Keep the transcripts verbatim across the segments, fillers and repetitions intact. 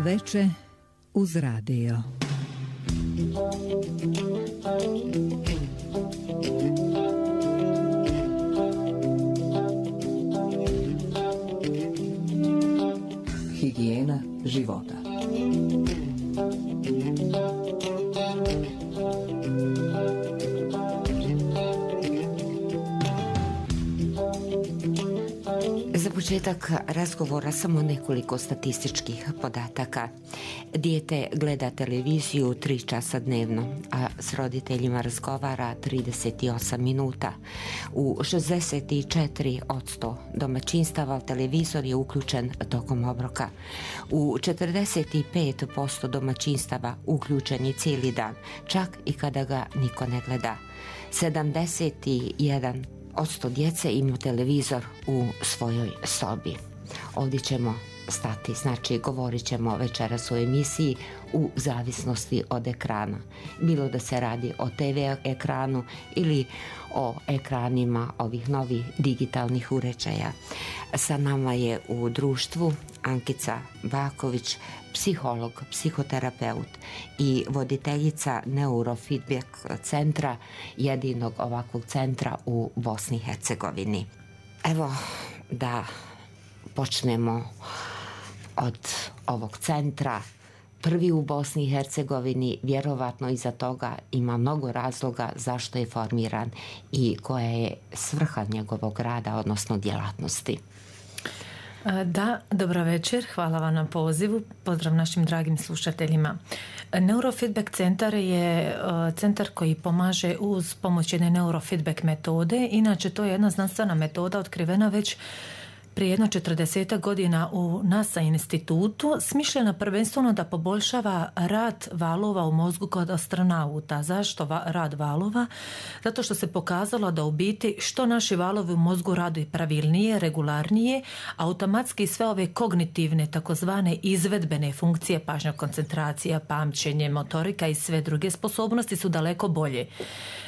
Veče uz radio. Higijena života. Za početak razgovora samo nekoliko statističkih podataka. Dijete gleda televiziju tri časa dnevno, a s roditeljima razgovara trideset osam minuta. U šezdeset četiri posto domaćinstava televizor je uključen tokom obroka. U četrdeset pet posto domaćinstava uključen je cijeli dan, čak i kada ga niko ne gleda. sedamdeset jedan posto djece ima televizor u svojoj sobi. Ovdje ćemo stati, znači govorit ćemo večeras u emisiji u zavisnosti od ekrana. Bilo da se radi o te ve ekranu ili o ekranima ovih novih digitalnih uređaja. Sa nama je u društvu Ankica Baković, psiholog, psihoterapeut i voditeljica Neurofeedback centra, jedinog ovakvog centra u Bosni i Hercegovini. Evo da počnemo od ovog centra. Prvi u Bosni i Hercegovini, vjerovatno iza toga ima mnogo razloga zašto je formiran i koja je svrha njegovog rada, odnosno djelatnosti. Da, dobro večer, hvala vam na pozivu, pozdrav našim dragim slušateljima. Neurofeedback centar je centar koji pomaže uz pomoć jedne neurofeedback metode. Inače, to je jedna znanstvena metoda otkrivena već prije jedno četrdesetak godina u NASA institutu, smišljena prvenstveno da poboljšava rad valova u mozgu kod astronauta. Zašto va, rad valova? Zato što se pokazalo da u biti što naši valovi u mozgu rade pravilnije, regularnije, automatski sve ove kognitivne, takozvane izvedbene funkcije, pažnja, koncentracija, pamćenje, motorika i sve druge sposobnosti su daleko bolje.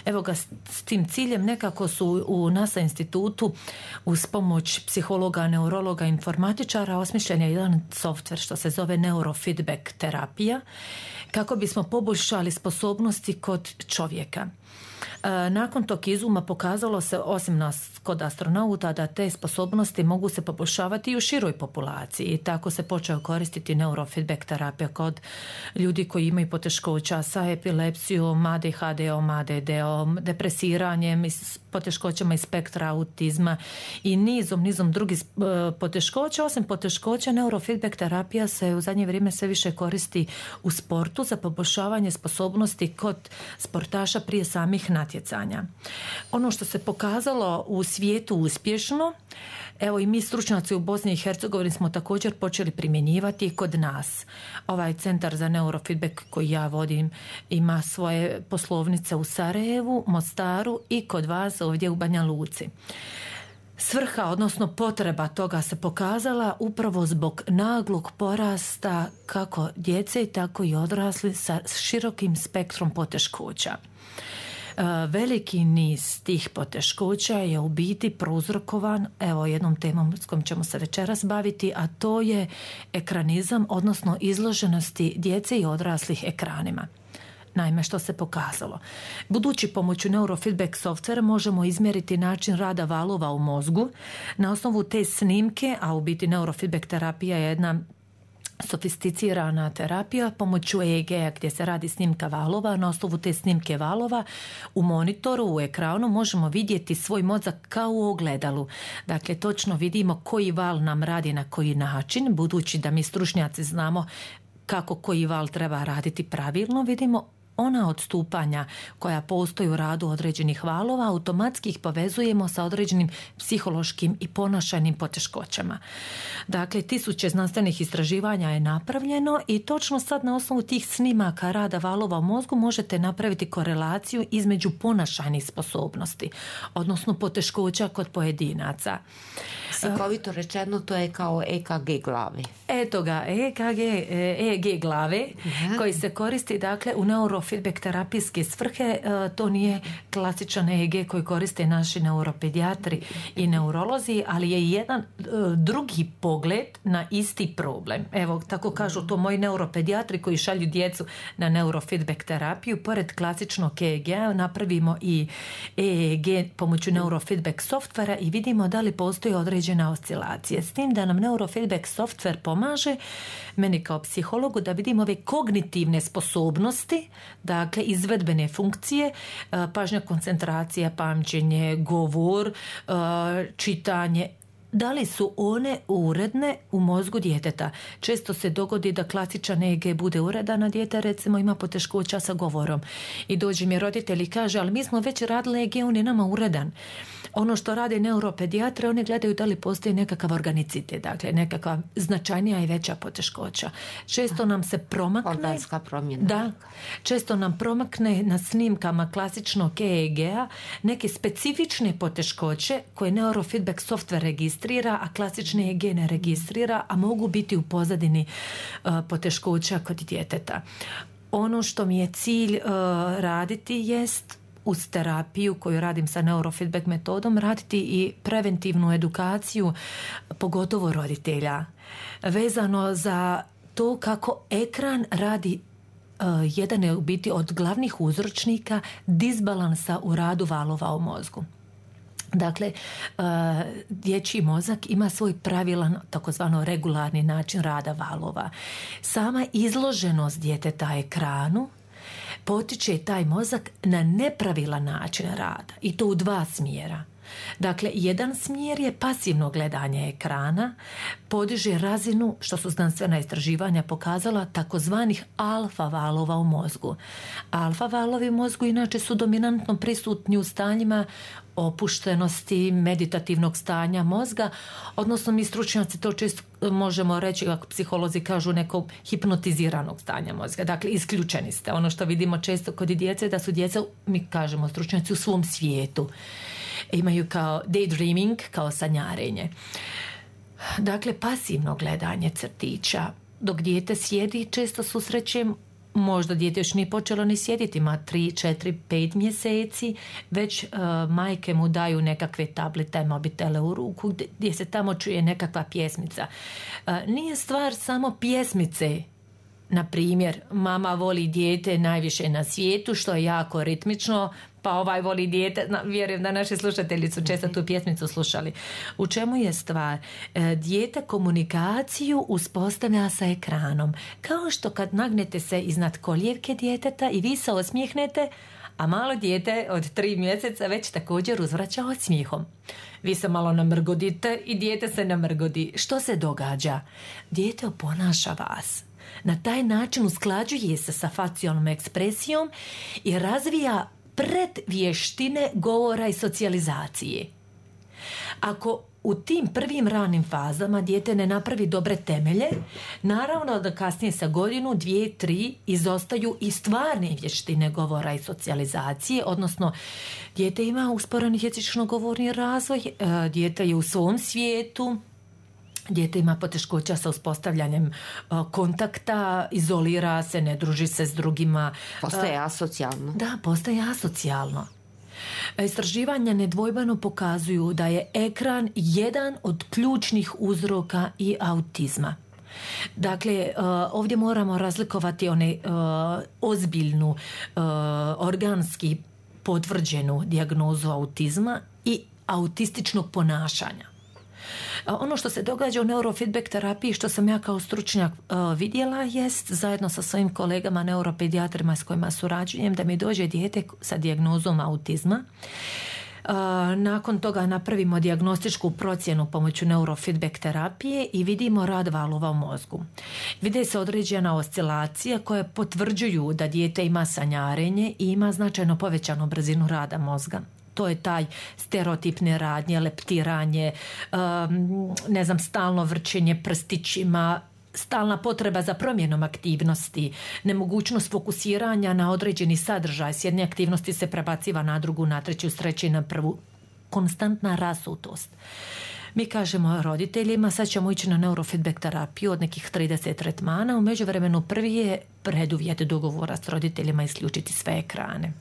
Evo ga, s tim ciljem nekako su u NASA institutu uz pomoć psihologa, neurologa, informatičara osmišljen je jedan softver što se zove neurofeedback terapija kako bismo poboljšali sposobnosti kod čovjeka. Nakon tog izuma pokazalo se, osim nas kod astronauta, da te sposobnosti mogu se poboljšavati i u široj populaciji i tako se počeo koristiti neurofeedback terapija kod ljudi koji imaju poteškoća sa epilepsijom, a de ha de-om, a de de-om, depresiranjem, poteškoćama iz spektra autizma i nizom, nizom drugih poteškoća. Osim poteškoća, neurofeedback terapija se u zadnje vrijeme sve više koristi u sportu za poboljšavanje sposobnosti kod sportaša prije samih natjecanja. Ono što se pokazalo u svijetu uspješno, evo i mi stručnjaci u Bosni i Hercegovini smo također počeli primjenjivati kod nas. Ovaj centar za neurofeedback koji ja vodim ima svoje poslovnice u Sarajevu, Mostaru i kod vas ovdje u Banja Luci. Svrha, odnosno potreba toga se pokazala upravo zbog naglog porasta kako djece, tako i odrasli sa širokim spektrom poteškoća. Veliki niz tih poteškoća je u biti prouzrokovan, evo jednom temom s kojom ćemo se večeras baviti, a to je ekranizam, odnosno izloženosti djece i odraslih ekranima. Naime, što se pokazalo? Budući pomoću neurofeedback softvera možemo izmjeriti način rada valova u mozgu. Na osnovu te snimke, a u biti neurofeedback terapija je jedna sofisticirana terapija pomoću E E G-a gdje se radi snimka valova. Na osnovu te snimke valova u monitoru, u ekranu možemo vidjeti svoj mozak kao u ogledalu. Dakle, točno vidimo koji val nam radi na koji način, budući da mi stručnjaci znamo kako koji val treba raditi pravilno, vidimo ona odstupanja koja postoje u radu određenih valova, automatski ih povezujemo sa određenim psihološkim i ponašajnim poteškoćama. Dakle, tisuće znanstvenih istraživanja je napravljeno i točno sad na osnovu tih snimaka rada valova u mozgu možete napraviti korelaciju između ponašajnih sposobnosti, odnosno poteškoća kod pojedinaca. Slikovito rečeno, to je kao E K G glave. Eto ga, E K G, E E G glave, uh-huh. koji se koristi dakle u neuro neurofeedback terapijske svrhe, to nije klasičan E E G koji koriste naši neuropedijatri i neurolozi, ali je jedan drugi pogled na isti problem. Evo, tako kažu to moji neuropedijatri koji šalju djecu na neurofeedback terapiju. Pored klasičnog E E G-a napravimo i E E G pomoću neurofeedback softvera i vidimo da li postoji određena oscilacija. S tim da nam neurofeedback softver pomaže meni kao psihologu da vidimo ove kognitivne sposobnosti, dakle izvedbene funkcije, pažnja, koncentracija, pamćenje, govor, čitanje, da li su one uredne u mozgu djeteta. Često se dogodi da klasičan E E G bude uredan, a dijete recimo ima poteškoća sa govorom. I dođe mi roditelj i kaže, ali mi smo već radili E E G, on je nama uredan. Ono što rade neuropedijatre, oni gledaju da li postoji nekakav organicitet, dakle nekakva značajnija i veća poteškoća. Često nam se promakne... Organska promjena. Da, često nam promakne na snimkama klasičnog E E G-a neke specifične poteškoće koje neurofeedback software registrira, a klasični E E G ne registrira, a mogu biti u pozadini uh, poteškoća kod djeteta. Ono što mi je cilj uh, raditi jest uz terapiju koju radim sa neurofeedback metodom, raditi i preventivnu edukaciju, pogotovo roditelja, vezano za to kako ekran radi uh, jedan je u biti od glavnih uzročnika disbalansa u radu valova u mozgu. Dakle, uh, dječji mozak ima svoj pravilan, takozvano regularni način rada valova. Sama izloženost djeteta ekranu potiče taj mozak na nepravilan način rada i to u dva smjera. Dakle, jedan smjer je pasivno gledanje ekrana, podiže razinu, što su znanstvena istraživanja pokazala, takozvanih alfa valova u mozgu. Alfa valovi u mozgu inače su dominantno prisutni u stanjima opuštenosti, meditativnog stanja mozga, odnosno mi stručnjaci to često možemo reći, kako psiholozi kažu, nekog hipnotiziranog stanja mozga. Dakle, isključeni ste. Ono što vidimo često kod djece, da su djeca, mi kažemo stručnjaci, u svom svijetu. Imaju kao daydreaming, kao sanjarenje. Dakle, pasivno gledanje crtića. Dok dijete sjedi, često susrećem, možda dijete još nije počelo ni sjediti, ima tri, četiri, pet mjeseci, već uh, majke mu daju nekakve tablete, mobitele u ruku, gdje, gdje se tamo čuje nekakva pjesmica. Uh, nije stvar samo pjesmice. Na primjer, mama voli dijete najviše na svijetu, što je jako ritmično, pa ovaj voli dijete, vjerujem da naši slušatelji su često tu pjesmicu slušali. U čemu je stvar? E, dijete komunikaciju uspostavlja sa ekranom. Kao što kad nagnete se iznad koljevke djeteta i vi se osmijehnete, a malo dijete od tri mjeseca već također uzvraća osmijehom. Vi se malo namrgodite i dijete se namrgodi. Što se događa? Dijete oponaša vas. Na taj način usklađuje se sa facijalnom ekspresijom i razvija predvještine govora i socijalizacije. Ako u tim prvim ranim fazama dijete ne napravi dobre temelje, naravno da kasnije sa godinu, dvije, tri izostaju i stvarne vještine govora i socijalizacije, odnosno dijete ima usporeni jezično-govorni razvoj, dijete je u svom svijetu, dijete ima poteškoća sa uspostavljanjem uh, kontakta, izolira se, ne druži se s drugima. Postaje asocijalno. Da, postaje asocijalno. Istraživanja nedvojbeno pokazuju da je ekran jedan od ključnih uzroka i autizma. Dakle, uh, ovdje moramo razlikovati one uh, ozbiljnu, uh, organski potvrđenu dijagnozu autizma i autističnog ponašanja. Ono što se događa u neurofeedback terapiji, što sam ja kao stručnjak uh, vidjela, jest zajedno sa svojim kolegama neuropedijatrima s kojima surađujem, da mi dođe dijete sa dijagnozom autizma. Uh, nakon toga napravimo dijagnostičku procjenu pomoću neurofeedback terapije i vidimo rad valova u mozgu. Vide se određena oscilacija koje potvrđuju da dijete ima sanjarenje i ima značajno povećanu brzinu rada mozga. To je taj stereotipne radnje, leptiranje, um, ne znam, stalno vrčenje prstićima, stalna potreba za promjenom aktivnosti, nemogućnost fokusiranja na određeni sadržaj. S jedne aktivnosti se prebaciva na drugu, na treću, s treće na prvu. Konstantna rasutost. Mi kažemo roditeljima, sad ćemo ići na neurofeedback terapiju od nekih trideset tretmana, u međuvremenu prvi je preduvjet dogovora s roditeljima isključiti sve ekrane.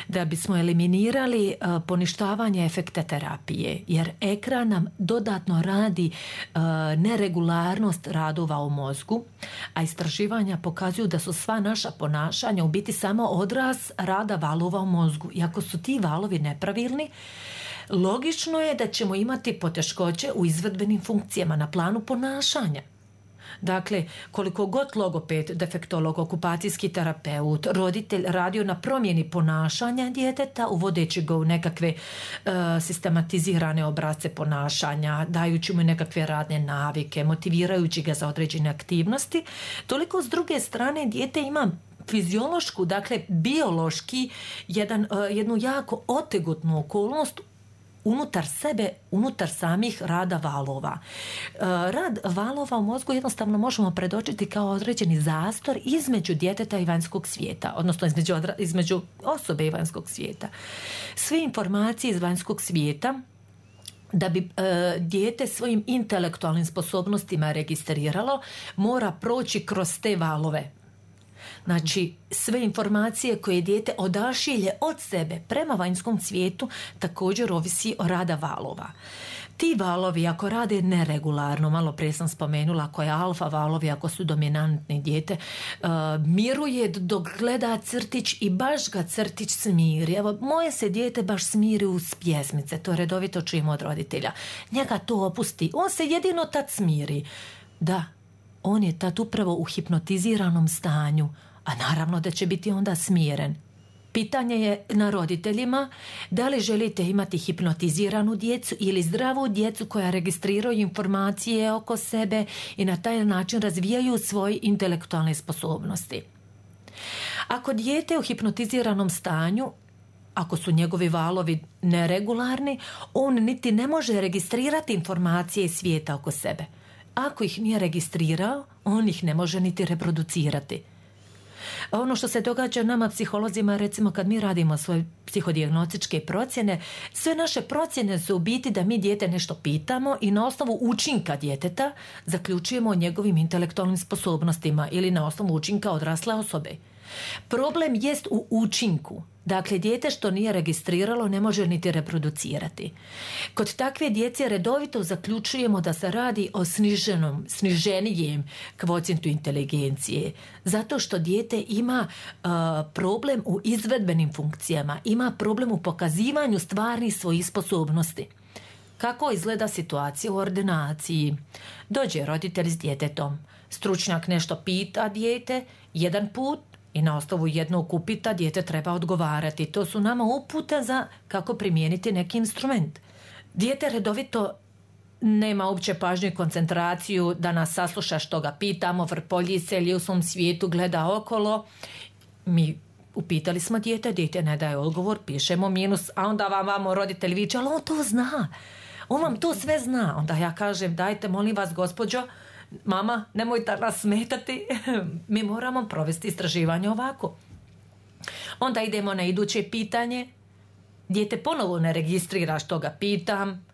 Da bismo eliminirali uh, poništavanje efekta terapije, jer ekran nam dodatno radi uh, neregularnost radova u mozgu, a istraživanja pokazuju da su sva naša ponašanja u biti samo odraz rada valova u mozgu. I ako su ti valovi nepravilni, logično je da ćemo imati poteškoće u izvedbenim funkcijama na planu ponašanja. Dakle, koliko god logoped, defektolog, okupacijski terapeut, roditelj radio na promjeni ponašanja djeteta, uvodeći ga u nekakve uh, sistematizirane obrasce ponašanja, dajući mu nekakve radne navike, motivirajući ga za određene aktivnosti, toliko s druge strane dijete ima fiziološku, dakle biološki, jedan, uh, jednu jako otegotnu okolnost unutar sebe, unutar samih rada valova. Rad valova u mozgu jednostavno možemo predočiti kao određeni zastor između djeteta i vanjskog svijeta, odnosno između, odra- između osobe i vanjskog svijeta. Sve informacije iz vanjskog svijeta da bi e, dijete svojim intelektualnim sposobnostima registriralo, mora proći kroz te valove. Znači, sve informacije koje dijete odašilje od sebe prema vanjskom svijetu također ovisi o rada valova. Ti valovi ako rade neregularno, malo prije sam spomenula, ako je alfa valovi, ako su dominantni, dijete uh, miruje dok gleda crtić i baš ga crtić smiri. Evo, moje se dijete baš smiri uz pjesmice, to redovito čujemo od roditelja. Njega to opusti, on se jedino tad smiri. Da, on je tad upravo u hipnotiziranom stanju, a naravno da će biti onda smiren. Pitanje je na roditeljima da li želite imati hipnotiziranu djecu ili zdravu djecu koja registriraju informacije oko sebe i na taj način razvijaju svoje intelektualne sposobnosti. Ako dijete u hipnotiziranom stanju, ako su njegovi valovi neregularni, on niti ne može registrirati informacije iz svijeta oko sebe. Ako ih nije registrirao, on ih ne može niti reproducirati. Ono što se događa nama psiholozima, recimo kad mi radimo svoje psihodijagnostičke procjene, sve naše procjene su u biti da mi dijete nešto pitamo i na osnovu učinka djeteta zaključujemo o njegovim intelektualnim sposobnostima ili na osnovu učinka odrasle osobe. Problem jest u učinku. Dakle, dijete što nije registriralo ne može niti reproducirati. Kod takve djece redovito zaključujemo da se radi o sniženom, sniženijem kvocijentu inteligencije. Zato što dijete ima uh, problem u izvedbenim funkcijama, ima problem u pokazivanju stvarnih svojih sposobnosti. Kako izgleda situacija u ordinaciji? Dođe roditelj s djetetom. Stručnjak nešto pita dijete jedan put, i na osnovu jednog upita dijete treba odgovarati. To su nama upute za kako primijeniti neki instrument. Dijete redovito nema uopće pažnju i koncentraciju da nas sasluša što ga pitamo, vrpolji se ili u svom svijetu gleda okolo. Mi upitali smo dijete, dijete ne daje odgovor, pišemo minus, a onda vam vamo roditelj viče, ali on to zna. On vam to sve zna. Onda ja kažem, dajte molim vas gospođo, mama, nemojte nas smetati, mi moramo provesti istraživanje ovako. Onda idemo na iduće pitanje. Dijete ponovo ne registrira što ga pitam,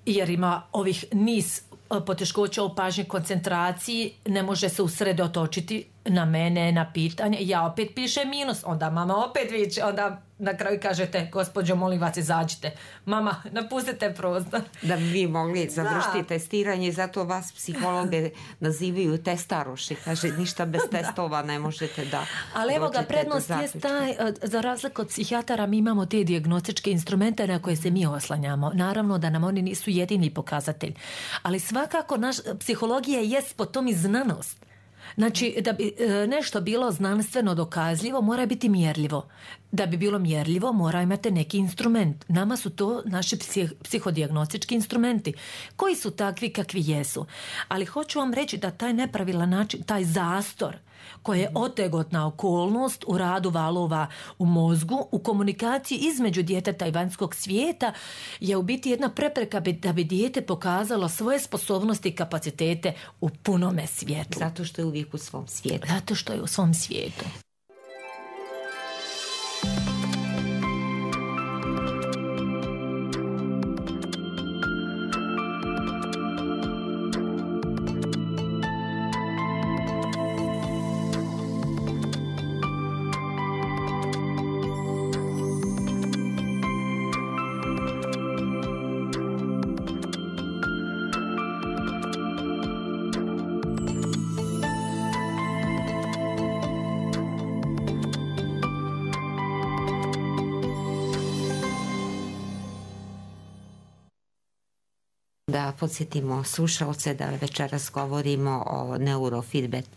jer ima ovih niz poteškoća u pažnji, koncentraciji, ne može se usredotočiti na mene, na pitanje. Ja opet pišem minus, onda mama opet viče, onda na kraju kažete, gospođo, molim vas, izađite. Mama, napustite prostor. Da bi vi mogli završiti da. testiranje, zato vas psihologe nazivaju testaroši. Kaže, ništa bez testova ne možete da. Ali evo ga, prednost je taj, za razliku od psihijatara, mi imamo te dijagnostičke instrumente na koje se mi oslanjamo. Naravno da nam oni nisu jedini pokazatelj. Ali svakako naš psihologija jest po tom i znanost. Znači, da bi nešto bilo znanstveno dokazljivo, mora biti mjerljivo. Da bi bilo mjerljivo, mora imati neki instrument. Nama su to naši psihodijagnostički instrumenti, koji su takvi kakvi jesu. Ali hoću vam reći da taj nepravilan način, taj zastor, koji je otegotna okolnost u radu valova u mozgu, u komunikaciji između djeteta i vanjskog svijeta, je u biti jedna prepreka da bi dijete pokazalo svoje sposobnosti i kapacitete u punome svijetu. Zato što je uvijek u svom svijetu. Zato što je u svom svijetu. Da podsjetimo slušalce da večeras govorimo o neurofeedback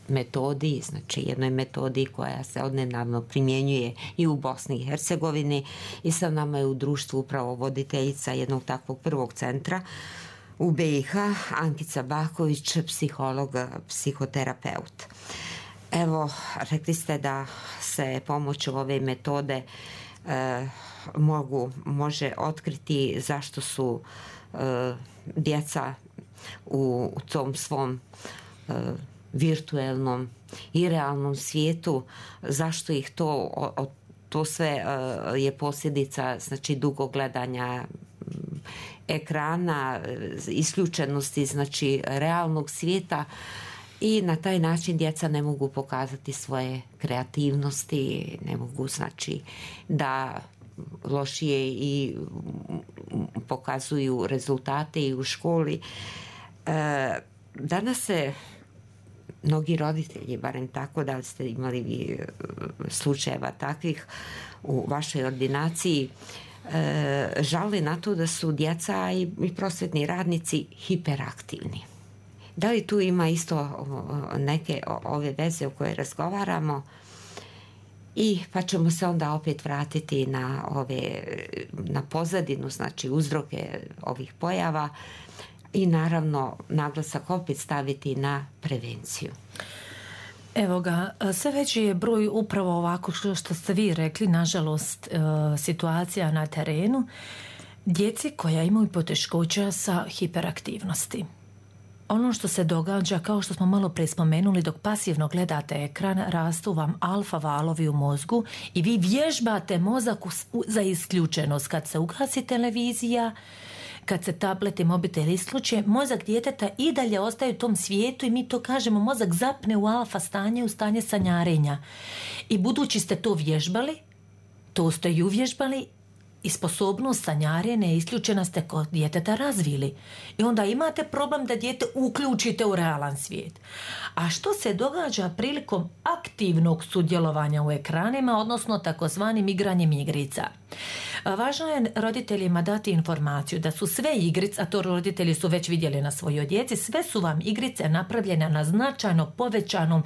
metodi, znači jednoj metodi koja se odnedavno primjenjuje i u Bosni i Hercegovini, i sa nama je u društvu upravo voditeljica jednog takvog prvog centra u B i H, Ankica Baković, psiholog, psihoterapeut. Evo, rekli ste da se pomoću ove metode e, mogu, može otkriti zašto su e, djeca u, u tom svom e, virtuelnom i realnom svijetu, zašto ih to, o, to sve uh, je posljedica, znači, dugo gledanja ekrana, isključenosti, znači, realnog svijeta, i na taj način djeca ne mogu pokazati svoje kreativnosti, ne mogu, znači, da lošije i pokazuju rezultate i u školi. Uh, danas se mnogi roditelji, barem tako, da ste imali vi slučajeva takvih u vašoj ordinaciji, e, žali na to da su djeca i, i prosvetni radnici hiperaktivni. Da li tu ima isto neke ove veze o koje razgovaramo? I pa ćemo se onda opet vratiti na ove, na pozadinu, znači uzroke ovih pojava, i naravno naglasak opet staviti na prevenciju. Evo ga, sve veći je broj upravo ovako što ste vi rekli, nažalost, situacija na terenu, djeci koja imaju poteškoća sa hiperaktivnosti. Ono što se događa, kao što smo malo prije spomenuli, dok pasivno gledate ekran, rastu vam alfa valovi u mozgu i vi vježbate mozak za isključenost. Kad se ugasi televizija, kad se tablet i mobitel isključe, mozak djeteta i dalje ostaje u tom svijetu i mi to kažemo, mozak zapne u alfa stanje, u stanje sanjarenja. I budući ste to vježbali, to ste i uvježbali, i sposobnost sanjarenja isključena ste kod djeteta razvili. I onda imate problem da dijete uključite u realan svijet. A što se događa prilikom aktivnog sudjelovanja u ekranima, odnosno takozvanim igranjem igrica? Važno je roditeljima dati informaciju da su sve igrice, a to roditelji su već vidjeli na svojoj djeci, sve su vam igrice napravljene na značajno povećanom,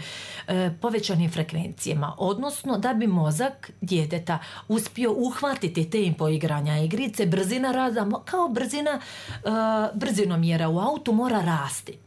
e, povećanim frekvencijama, odnosno da bi mozak djeteta uspio uhvatiti te poigranja igrice, brzina rada, kao brzina, e, brzinomjera u autu mora rasti.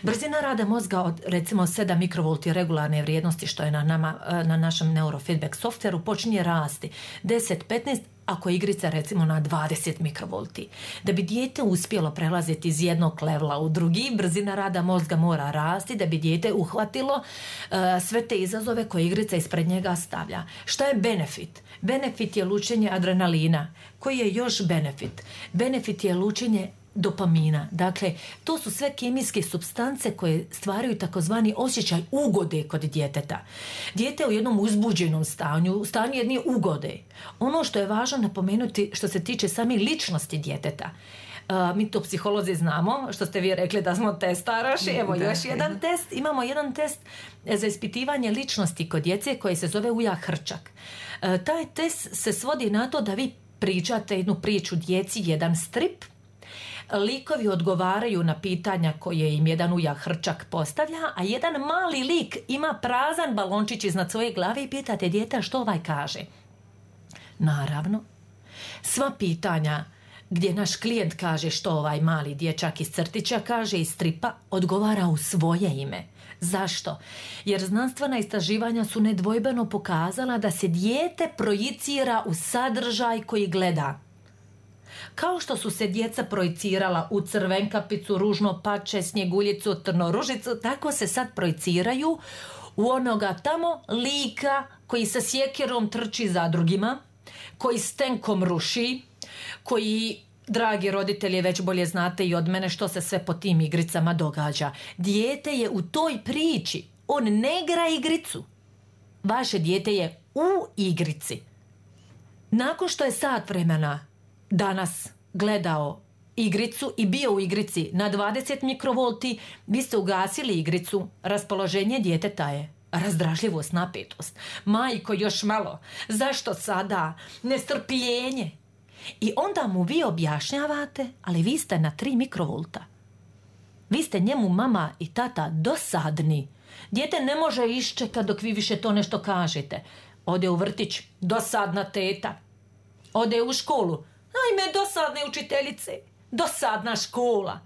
Brzina rada mozga od recimo sedam mikrovolti regularne vrijednosti, što je na, nama, na našem neurofeedback softveru, počinje rasti deset petnaest, ako igrica recimo na dvadeset mikrovolti. Da bi dijete uspjelo prelaziti iz jednog levela u drugi, brzina rada mozga mora rasti da bi dijete uhvatilo uh, sve te izazove koje igrica ispred njega stavlja. Šta je benefit? Benefit je lučenje adrenalina. Koji je još benefit? Benefit je lučenje dopamina. Dakle, to su sve kemijske supstance koje stvaraju takozvani osjećaj ugode kod djeteta. Dijete u jednom uzbuđenom stanju, u stanju jedne ugode. Ono što je važno napomenuti što se tiče same ličnosti djeteta. Uh, mi to psiholozi znamo, što ste vi rekli da smo testaraši. Evo da, još jedan test. Imamo jedan test za ispitivanje ličnosti kod djece koji se zove Uja Hrčak. Uh, taj test se svodi na to da vi pričate jednu priču djeci, jedan strip. Likovi odgovaraju na pitanja koje im jedan Uja Hrčak postavlja, a jedan mali lik ima prazan balončić iznad svoje glave i pitate dijete što ovaj kaže. Naravno, sva pitanja gdje naš klijent kaže što ovaj mali dječak iz crtića kaže iz stripa, odgovara u svoje ime. Zašto? Jer znanstvena istraživanja su nedvojbeno pokazala da se dijete projicira u sadržaj koji gleda. Kao što su se djeca projicirala u crvenkapicu, ružno pače, snjeguljicu, trnoružicu, tako se sad projiciraju u onoga tamo lika koji sa sjekirom trči za drugima, koji s tenkom ruši, koji, dragi roditelji, već bolje znate i od mene što se sve po tim igricama događa. Dijete je u toj priči, on ne igra igricu. Vaše dijete je u igrici. Nakon što je sat vremena danas gledao igricu i bio u igrici na dvadeset mikrovolti, vi ste ugasili igricu, raspoloženje djeteta je razdražljivost, napetost. Majko, još malo. Zašto sada? Nestrpljenje. I onda mu vi objašnjavate, ali vi ste na tri mikrovolta. Vi ste njemu mama i tata dosadni. Dijete ne može iščekati dok vi više to nešto kažete. Ode u vrtić, dosadna teta. Ode u školu, ajme dosadne učiteljice, dosadna škola.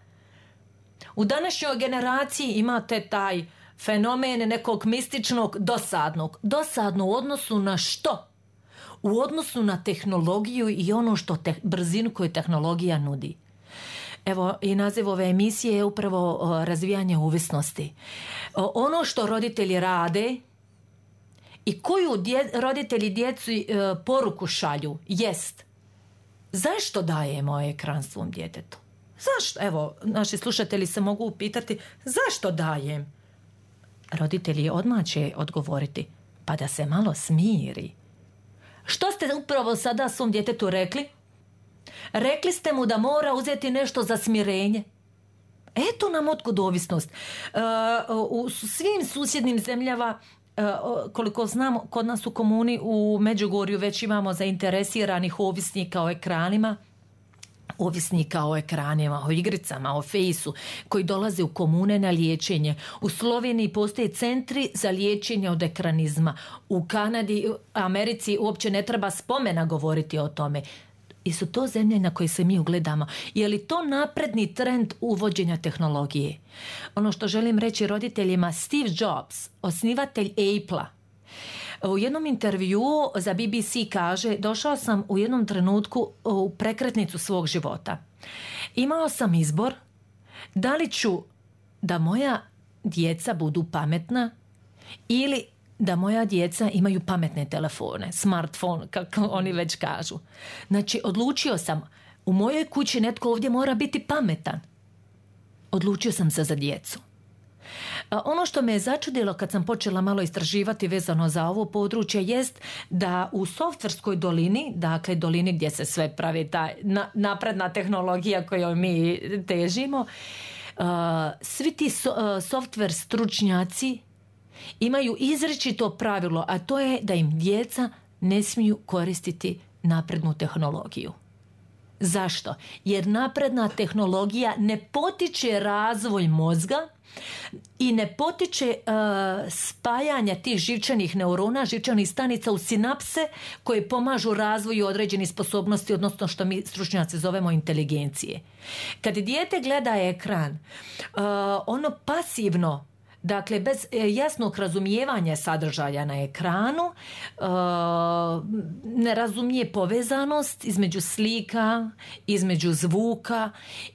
U današnjoj generaciji imate taj fenomen nekog mističnog dosadnog. Dosadno u odnosu na što? U odnosu na tehnologiju i ono što te, brzinu koju tehnologija nudi. Evo, i naziv ove emisije je upravo o, razvijanje ovisnosti. O, ono što roditelji rade i koju dje, roditelji djecu e, poruku šalju jest: zašto dajemo ekran svom djetetu? Zašto? Evo, naši slušatelji se mogu upitati: zašto dajem? Roditelji odmah će odgovoriti: pa da se malo smiri. Što ste upravo sada svom djetetu rekli? Rekli ste mu da mora uzeti nešto za smirenje. Eto nam otkud ovisnost. Uh, u svim susjednim zemljama, uh, koliko znam, kod nas u komuni u Međugorju već imamo zainteresiranih ovisnika o ekranima, ovisnika o ekranima, o igricama, o fejsu, koji dolaze u komune na liječenje. U Sloveniji postoje centri za liječenje od ekranizma. U Kanadi, Americi uopće ne treba spomena govoriti o tome. I su to zemlje na koje se mi ugledamo. Je li to napredni trend uvođenja tehnologije? Ono što želim reći roditeljima, Steve Jobs, osnivatelj Apple-a, u jednom intervjuu za B B C kaže: došao sam u jednom trenutku u prekretnicu svog života. Imao sam izbor da li ću da moja djeca budu pametna ili da moja djeca imaju pametne telefone, smartphone, kako oni već kažu. Znači, odlučio sam, u mojoj kući netko ovdje mora biti pametan. Odlučio sam se za djecu. Ono što me je začudilo kad sam počela malo istraživati vezano za ovo područje jest da u softverskoj dolini, dakle dolini gdje se sve pravi ta napredna tehnologija kojoj mi težimo, svi ti softver stručnjaci imaju izričito pravilo, a to je da im djeca ne smiju koristiti naprednu tehnologiju. Zašto? Jer napredna tehnologija ne potiče razvoj mozga i ne potiče uh, spajanja tih živčanih neurona, živčanih stanica u sinapse koje pomažu razvoju određenih sposobnosti, odnosno što mi stručnjaci zovemo inteligencije. Kad dijete gleda ekran, uh, ono pasivno, dakle, bez jasnog razumijevanja sadržaja na ekranu, ne razumije povezanost između slika, između zvuka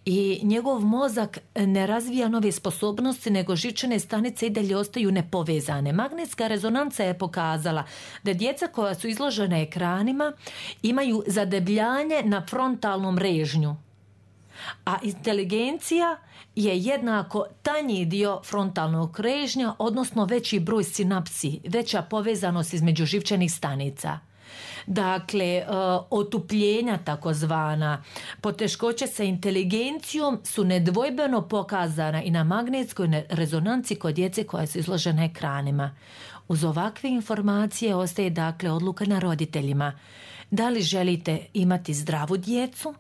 i njegov mozak ne razvija nove sposobnosti, nego živčane stanice i dalje ostaju nepovezane. Magnetska rezonanca je pokazala da djeca koja su izložena ekranima imaju zadebljanje na frontalnom režnju, a inteligencija je jednako tanji dio frontalnog režnja, odnosno veći broj sinapsi, veća povezanost između živčanih stanica. Dakle, otupljenja takozvana, poteškoće sa inteligencijom su nedvojbeno pokazana i na magnetskoj rezonanci kod djece koja su izložena ekranima. Uz ovakve informacije ostaje dakle odluka na roditeljima. Da li želite imati zdravu djecu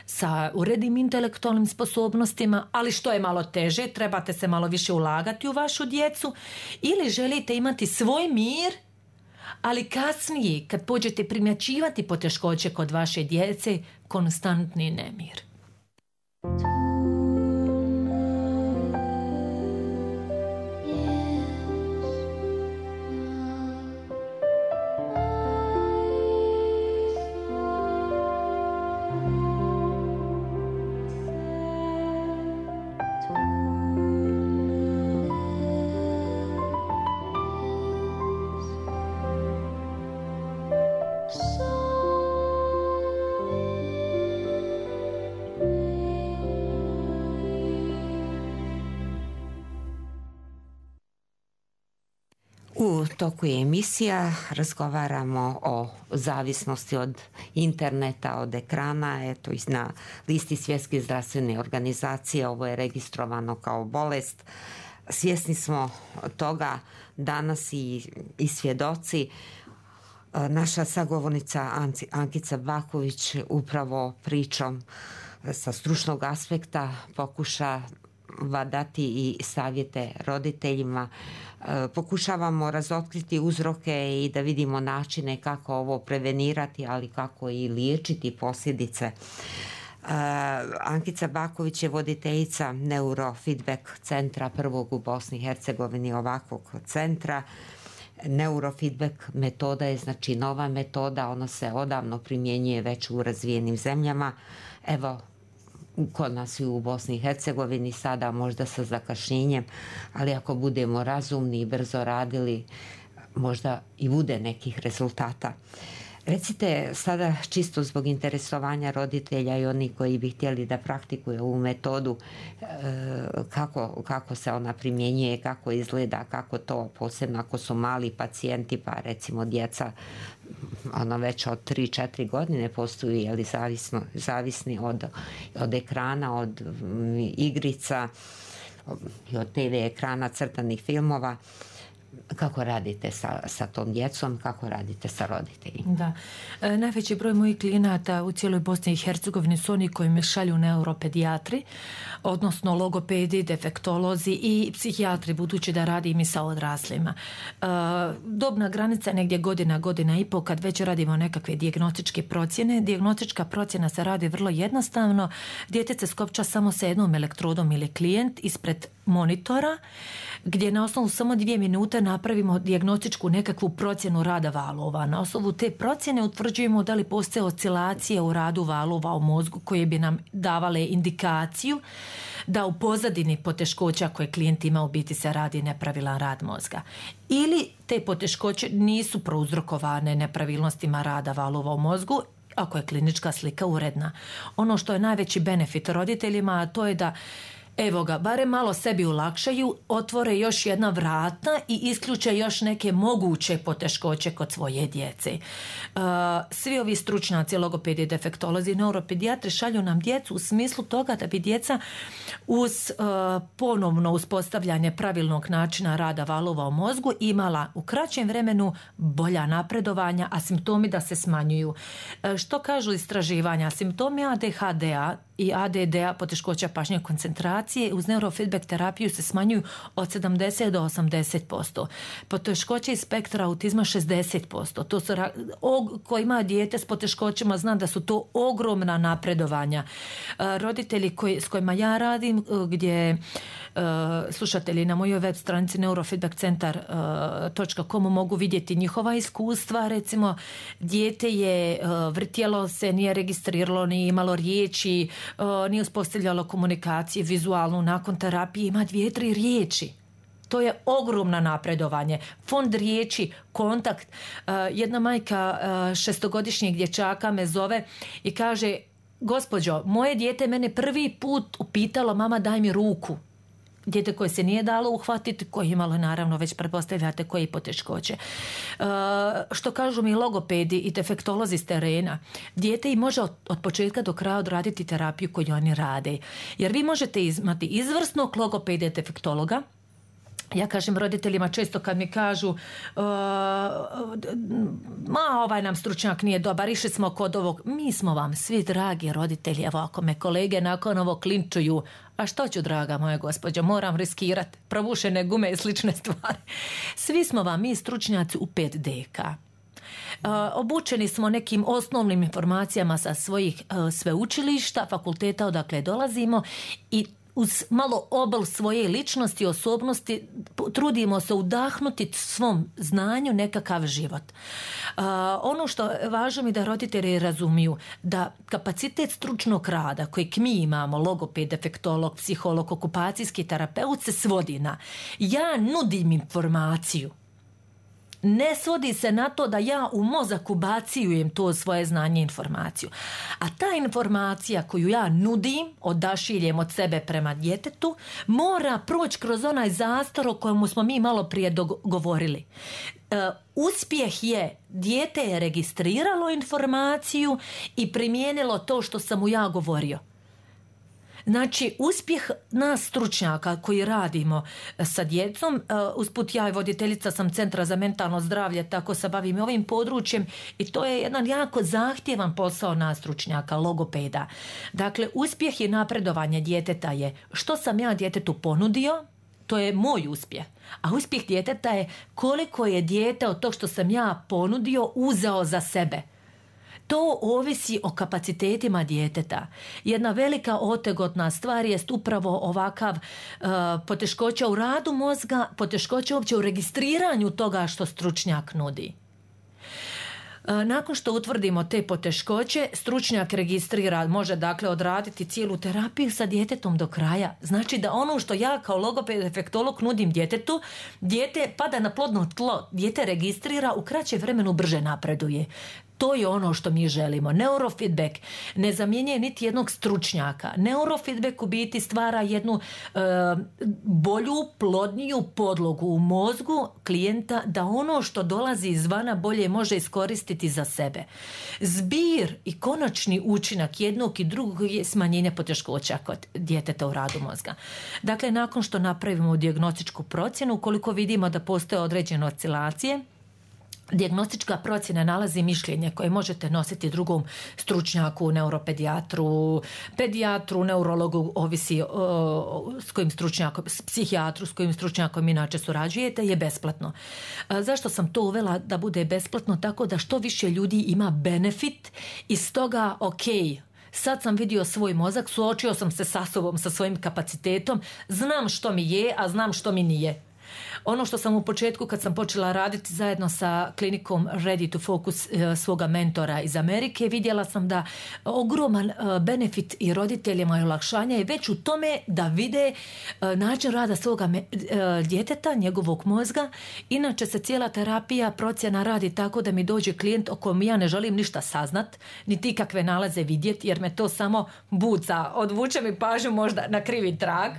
sa urednim intelektualnim sposobnostima, ali što je malo teže, trebate se malo više ulagati u vašu djecu, ili želite imati svoj mir, ali kasnije, kad pođete primjećivati poteškoće kod vaše djece, konstantni nemir. U toku emisija razgovaramo o zavisnosti od interneta, od ekrana. Eto, na listi Svjetske zdravstvene organizacije ovo je registrovano kao bolest. Svjesni smo toga danas i, i svjedoci. Naša sagovornica Ankica Baković upravo pričom sa stručnog aspekta pokušava dati i savjete roditeljima. Pokušavamo razotkriti uzroke i da vidimo načine kako ovo prevenirati, ali kako i liječiti posljedice. Ankica Baković je voditeljica neurofeedback centra prvog u Bosni i Hercegovini, ovakvog centra. Neurofeedback metoda je znači nova metoda, ona se odavno primjenjuje već u razvijenim zemljama. Evo, kod nas i u Bosni i Hercegovini sada možda sa zakašnjenjem, ali ako budemo razumni i brzo radili, možda i bude nekih rezultata. Recite sada, čisto zbog interesovanja roditelja i oni koji bi htjeli da praktikuju ovu metodu, kako, kako se ona primjenjuje, kako izgleda, kako to, posebno ako su mali pacijenti, pa recimo djeca ono već od tri četiri godine postoji, jeli, zavisno, zavisni od, od ekrana, od igrica i od te ve ekrana, crtanih filmova. Kako radite sa, sa tom djecom, kako radite sa roditeljima? Da. E, najveći broj mojih klijenata u cijeloj Bosni i Hercegovini su oni koji me šalju neuropedijatri, odnosno logopedi, defektolozi i psihijatri, budući da radim i sa odraslima. E, dobna granica je negdje godina, godina i pol kad već radimo nekakve dijagnostičke procjene. Dijagnostička procjena se radi vrlo jednostavno. Dijete se skopča samo sa jednom elektrodom ili klijent ispred monitora, gdje na osnovu samo dvije minute napravimo dijagnostičku nekakvu procjenu rada valova. Na osnovu te procjene utvrđujemo da li postoje oscilacije u radu valova u mozgu koje bi nam davale indikaciju da u pozadini poteškoća koje klijent ima u biti se radi nepravilan rad mozga. Ili te poteškoće nisu prouzrokovane nepravilnostima rada valova u mozgu, ako je klinička slika uredna. Ono što je najveći benefit roditeljima, a to je da evo ga, barem malo sebi olakšaju, otvore još jedna vrata i isključe još neke moguće poteškoće kod svoje djece. Uh, svi ovi stručnjaci, logopedi, defektolozi, neuropedijatri šalju nam djecu u smislu toga da bi djeca uz uh, ponovno uspostavljanje pravilnog načina rada valova u mozgu imala u kraćem vremenu bolja napredovanja, a simptomi da se smanjuju. Uh, što kažu istraživanja? Simptomi a de ha de-a i a de de-a, poteškoća pažnje koncentracije, uz neurofeedback terapiju se smanjuju od sedamdeset do osamdeset posto. Poteškoće iz spektra autizma šezdeset posto. To su, ko ima dijete s poteškoćama zna da su to ogromna napredovanja. Roditelji koji, s kojima ja radim, gdje slušatelji na mojoj web stranici neurofeedbackcentar točka com mogu vidjeti njihova iskustva. Recimo, dijete je vrtjelo se, nije registriralo, nije imalo riječi, nije uspostavljalo komunikaciju vizualnu, nakon terapije ima dvije, tri riječi. To je ogromno napredovanje. Fond riječi, kontakt. Jedna majka šestogodišnjeg dječaka me zove i kaže: gospođo, moje dijete mene prvi put upitalo: mama, daj mi ruku. Dijete koje se nije dalo uhvatiti, koje je imalo, naravno, već pretpostavljate koje poteškoće. E, što kažu mi logopedi i defektolozi s terena, dijete i može od, od početka do kraja odraditi terapiju koju oni rade. Jer vi možete imati izvrsnog logopeda i defektologa. Ja kažem roditeljima često kad mi kažu uh, ma ovaj nam stručnjak nije dobar, išli smo kod ovog. Mi smo vam svi dragi roditelji. Evo, ako me kolege nakon ovo klinčuju, a što ću, draga moja gospođo, moram riskirati probušene gume i slične stvari. Svi smo vam mi stručnjaci u pet deka. Uh, obučeni smo nekim osnovnim informacijama sa svojih uh, sveučilišta, fakulteta odakle dolazimo i uz malo obol svoje ličnosti i osobnosti trudimo se udahnuti svom znanju nekakav život. Uh, ono što je važno mi da roditelji razumiju, da kapacitet stručnog rada kojeg mi imamo, logoped, defektolog, psiholog, okupacijski terapeut, se svodi na: ja nudim informaciju. Ne svodi se na to da ja u mozak ubacijujem to svoje znanje i informaciju. A ta informacija koju ja nudim, odašiljem od sebe prema djetetu, mora proći kroz onaj zastor o kojemu smo mi malo prije dogovorili. E, uspjeh je, dijete je registriralo informaciju i primijenilo to što sam mu ja govorio. Znači, uspjeh nas stručnjaka koji radimo sa djecom, usput ja i voditeljica sam Centra za mentalno zdravlje, tako se bavim ovim područjem i to je jedan jako zahtjevan posao nas stručnjaka, logopeda. Dakle, uspjeh i napredovanje djeteta je što sam ja djetetu ponudio, to je moj uspjeh. A uspjeh djeteta je koliko je dijete od tog što sam ja ponudio uzeo za sebe. To ovisi o kapacitetima djeteta. Jedna velika otegotna stvar jest upravo ovakav uh, poteškoća u radu mozga, poteškoća uopće u registriranju toga što stručnjak nudi. Nakon što utvrdimo te poteškoće, stručnjak registrira, može dakle odraditi cijelu terapiju sa djetetom do kraja. Znači da ono što ja kao logoped efektolog nudim djetetu, dijete pada na plodno tlo, dijete registrira, u kraćem vremenu brže napreduje. To je ono što mi želimo. Neurofeedback ne zamjenjuje niti jednog stručnjaka. Neurofeedback u biti stvara jednu e, bolju, plodniju podlogu u mozgu klijenta da ono što dolazi izvana bolje može iskoristiti za sebe. Zbir i konačni učinak jednog i drugog je smanjenje poteškoća kod djeteta u radu mozga. Dakle, nakon što napravimo dijagnostičku procjenu, ukoliko vidimo da postoje određene oscilacije, dijagnostička procjena nalazi mišljenje koje možete nositi drugom stručnjaku, neuropedijatru, pedijatru, neurologu, ovisi o, s kojim stručnjakom, psihijatru s kojim stručnjakom inače surađujete, je besplatno. A zašto sam to uvela da bude besplatno? Tako da što više ljudi ima benefit i stoga, ok, sad sam vidio svoj mozak, suočio sam se sa sobom, sa svojim kapacitetom, znam što mi je, a znam što mi nije. Ono što sam u početku kad sam počela raditi zajedno sa klinikom Ready to Focus svoga mentora iz Amerike, vidjela sam da ogroman benefit i roditeljima i olakšanja je već u tome da vide način rada svoga djeteta, njegovog mozga. Inače se cijela terapija, procjena radi tako da mi dođe klijent o kojem ja ne želim ništa saznat, niti kakve nalaze vidjeti, jer me to samo buca, odvuče mi pažnju možda na krivi trag.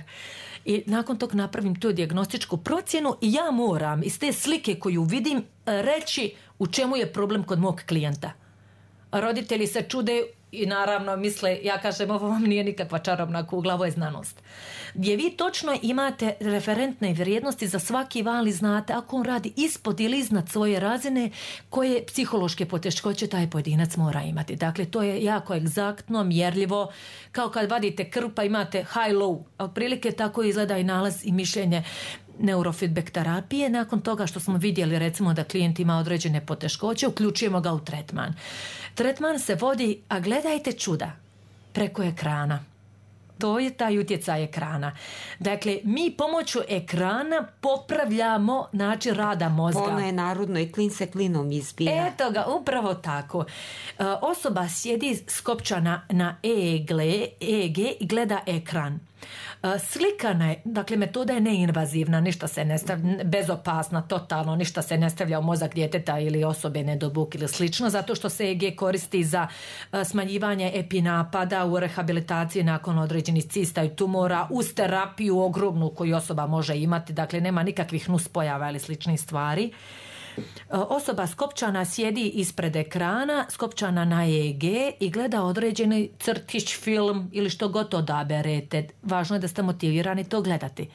I nakon tog napravim tu dijagnostičku procjenu i ja moram iz te slike koju vidim reći u čemu je problem kod mog klijenta. Roditelji se čude i naravno misle, ja kažem, ovo vam nije nikakva čarobna kugla, ovo je znanost. Gdje vi točno imate referentne vrijednosti za svaki val i znate ako on radi ispod ili iznad svoje razine, koje psihološke poteškoće taj pojedinac mora imati. Dakle, to je jako egzaktno, mjerljivo, kao kad vadite krv pa imate high-low. Otprilike tako izgleda i nalaz i mišljenje neurofeedback terapije. Nakon toga što smo vidjeli recimo da klijent ima određene poteškoće, uključujemo ga u tretman. Tretman se vodi, a gledajte čuda, preko ekrana. To je taj utjecaj ekrana. Dakle, mi pomoću ekrana popravljamo način rada mozga. Ono je narodno i klin se klinom izbija. Eto ga, upravo tako. E, osoba sjedi skopčana na E E G i gleda ekran. E, slikana je, dakle metoda je neinvazivna, ništa se ne stavlja, bezopasna, totalno, ništa se ne stavlja u mozak djeteta ili osobe nedobuk ili slično, zato što se E E G koristi za e, smanjivanje epinapada u rehabilitaciji nakon određenih cista i tumora, uz terapiju ogromnu koju osoba može imati, dakle nema nikakvih nuspojava ili sličnih stvari. Osoba skopčana sjedi ispred ekrana, skopčana na E E G i gleda određeni crtić, film ili što god odaberete. Važno je da ste motivirani to gledati.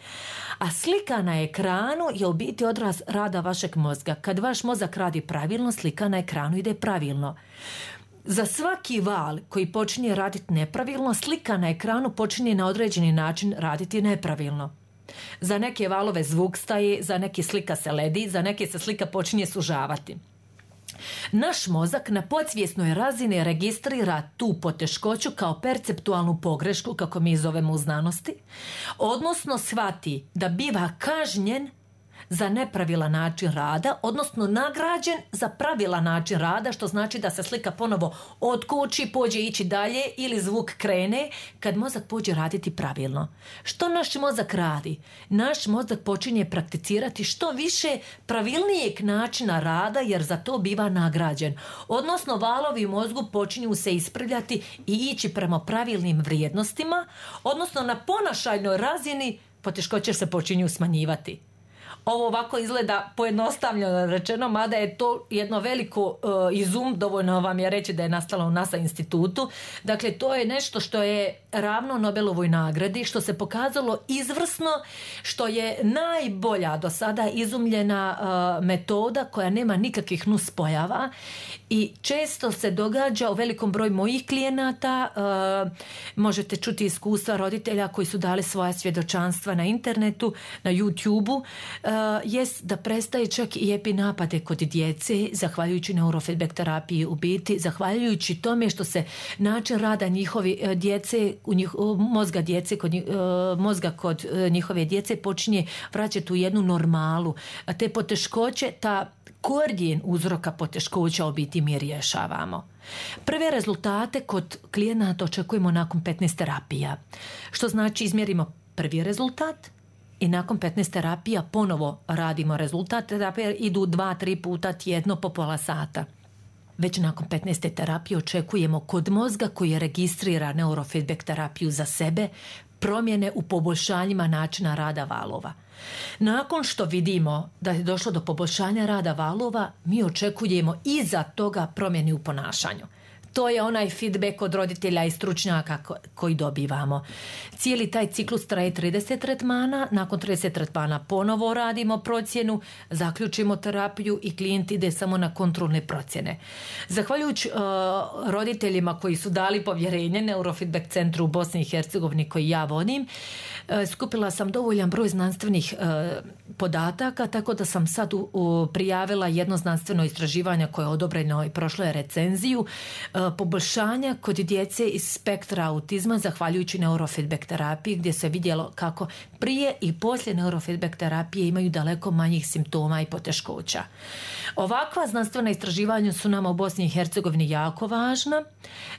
A slika na ekranu je u biti odraz rada vašeg mozga. Kad vaš mozak radi pravilno, slika na ekranu ide pravilno. Za svaki val koji počinje raditi nepravilno, slika na ekranu počinje na određeni način raditi nepravilno. Za neke valove zvuk staje, za neke slika se ledi, za neke se slika počinje sužavati. Naš mozak na podsvjesnoj razini registrira tu poteškoću kao perceptualnu pogrešku, kako mi zovemo u znanosti, odnosno shvati da biva kažnjen za nepravilan način rada, odnosno nagrađen za pravilan način rada, što znači da se slika ponovo otkoči, pođe ići dalje ili zvuk krene kad mozak pođe raditi pravilno. Što naš mozak radi? Naš mozak počinje prakticirati što više pravilnijeg načina rada, jer za to biva nagrađen. Odnosno valovi u mozgu počinju se ispravljati i ići prema pravilnim vrijednostima, odnosno na ponašajnoj razini poteškoće se počinju smanjivati. Ovo ovako izgleda pojednostavljeno rečeno, mada je to jedno veliko uh, izum, dovoljno vam je reći da je nastalo u NASA institutu. Dakle, to je nešto što je ravno Nobelovoj nagradi, što se pokazalo izvrsno, što je najbolja do sada izumljena uh, metoda koja nema nikakvih nuspojava i često se događa u velikom broju mojih klijenata. Uh, možete čuti iskustva roditelja koji su dali svoja svjedočanstva na internetu, na YouTubeu, uh, jest da prestaje čak i epinapade kod djece, zahvaljujući neurofeedback terapiji u biti, zahvaljujući tome što se način rada njihovi uh, djece, u njih, uh, mozga djece, kod, uh, mozga kod uh, njihove djece počinje vraćati u jednu normalu. A te poteškoće, ta korijen uzroka poteškoća u biti mi rješavamo. Prve rezultate kod klijenata očekujemo nakon petnaest terapija. Što znači izmjerimo prvi rezultat i nakon petnaest terapija ponovo radimo rezultat. Terapije idu dva, tri puta tjedno po pola sata. Već nakon petnaeste terapije očekujemo kod mozga koji registrira neurofeedback terapiju za sebe promjene u poboljšanjima načina rada valova. Nakon što vidimo da je došlo do poboljšanja rada valova, mi očekujemo iza toga promjeni u ponašanju. To je onaj feedback od roditelja i stručnjaka koji dobivamo. Cijeli taj ciklus traje trideset tretmana, nakon trideset tretmana ponovo radimo procjenu, zaključimo terapiju i klijent ide samo na kontrolne procjene. Zahvaljujući uh, roditeljima koji su dali povjerenje Neurofeedback centru u Bosni i Hercegovini koji ja vodim, uh, skupila sam dovoljan broj znanstvenih uh, podataka, tako da sam sad u, u, prijavila jedno znanstveno istraživanje koje je odobreno i prošlo je recenziju, uh, poboljšanja kod djece iz spektra autizma zahvaljujući neurofeedback terapiji, gdje se vidjelo kako prije i poslije neurofeedback terapije imaju daleko manjih simptoma i poteškoća. Ovakva znanstvena istraživanja su nama u Bosni i Hercegovini jako važna.